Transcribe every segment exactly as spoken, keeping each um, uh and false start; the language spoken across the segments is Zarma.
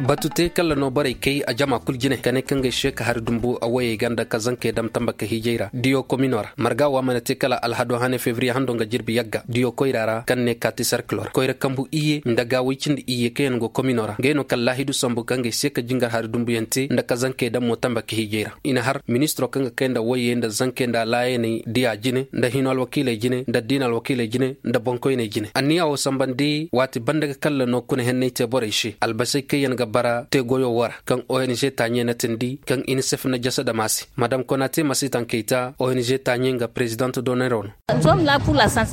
Batu te kala no borey kay a jama kulu jine ka ne kaŋ ga ay se ka hari dumbu a woyey ga nda ka zankey dam tamba ka hiijay ra diyo komino ra marga wo a mana te kala alhado hane febriye hando nga jirbi yagga diyo koyra ra kaŋ ne kaati sarkilo ra koyra kambu iyye nda gaawey cindi iyye kaŋ yaŋ go komino ra ngey no kala laahidu sambu kaŋ ga ay se ka jingar hari dumbu yaŋ te nda ka zankey dam mo tamba ka hiijay ra. I na har ministiro kaŋ ga kay nda woyey nda zankey nda laayaney diya jine nda hino alwakiiley jine nda diina alwakiiley jine nda boŋkoyney jine anniya wo sambandi waati banda ga kalla no kuna henney te borey se albasey kaŋ yaŋ ga bara te goyo wo ra kaŋ ong taaɲe na tindi kaŋ inisef na jasa dama se madam konate ma si tankey ta ong taaɲe nga prezident doneron.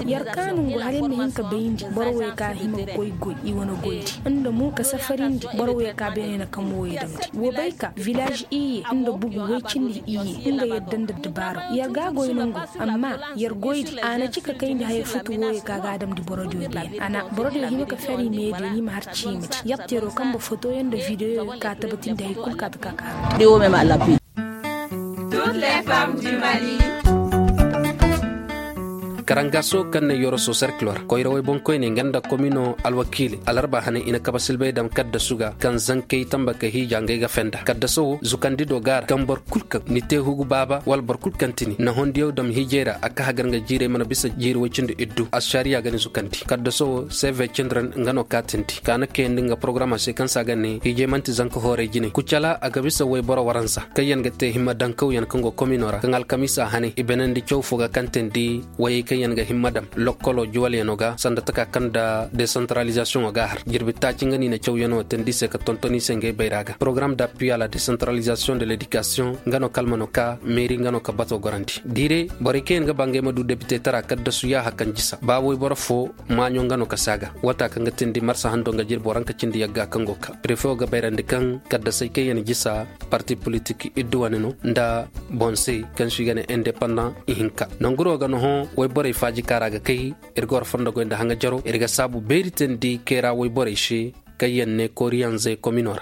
Yar kaanu ngu hari yaŋ na hin ka bayndi boro wo ye ka hima ga koy goy i wane goydi nda mo ka safarindi boro wo ye ka beene na kamo wo ye damndi wo bay ka vilaaž iyye nda bugu way cindi iyye nga yadda nda dabaaro yar ga goy nangu amma yar goydi a na ci ka kayndi haya futu wo ye ka ga a damndi borodiyo beene a na borodiyo hima ka fari meediyo ni ma har ciimati yatteero kaŋ ba fotoyaŋ nda videoyo ga ka tabatindi hari kulu ka ta ka kaara. Karangaso kaŋ na yoroso serkilo ra koyrawey boŋkoyney nga nda komino alwakiiley alarba hane i na kaba silbay daŋ kaddasu ga kaŋ zankey tamba ka hiija ngey ga fenda kaddaso wo zukandi do gaara kaŋ boro kulu kaŋ ni te hugu baaba wala boro kulu kaŋ ti ni na hondiyaŋ daŋ hiijay ra a ka hagar nga jiirey mana bisa jiiri way cindi iddu ašariya ga ni zukandi kaddaso wo seve cindira nga no kaatindi ka na kayandi nga porogaraama se kaŋ se a ga ne hiijay manti zanka hooray jine kucala a ga bisa wayboro waranza kaŋ yaŋ ga te himma daŋ kawyaŋ kaŋ go komino ra kaŋ alkamiisa hane i banandi caw fo ga kaŋ teendi wayey kaŋ yaŋ ga himma daŋ lokkolo juwalyaŋo ga sanda taka kaŋ nda desantaralizasiyoŋo ga a har jirbi taaci nga no i na cawyaŋo teendi se ka tonton i se ngey bayra ga porogaraam d'appui à la desantaralizasiyoŋ de ledikasiyoŋ nga no kalmano ka meeri nga no ka bato gorandi diire borey kaŋ yaŋ ga ba ngey ma du depite tara kaddasu yaaha kaŋ jisa ba wayboro fo maaɲo nga no ka saaga wata kaŋ ga teendi marsa hando nga jirbi waranka cindi yagga kaŋ go ka prefe wo ga bayrandi kaŋ kaddasey kaŋ yaŋ jisa parti politik iddu wane no nda bonse kaŋ se i ga ne independant ihinka nanguro ga no hõ wayborey faaji kaara ga kay iri ga war fondo goy nda haŋa jaro iri ga saabu beeri teendi kayra wayborey se kaŋ yaŋ ne koriyanzey komino ra.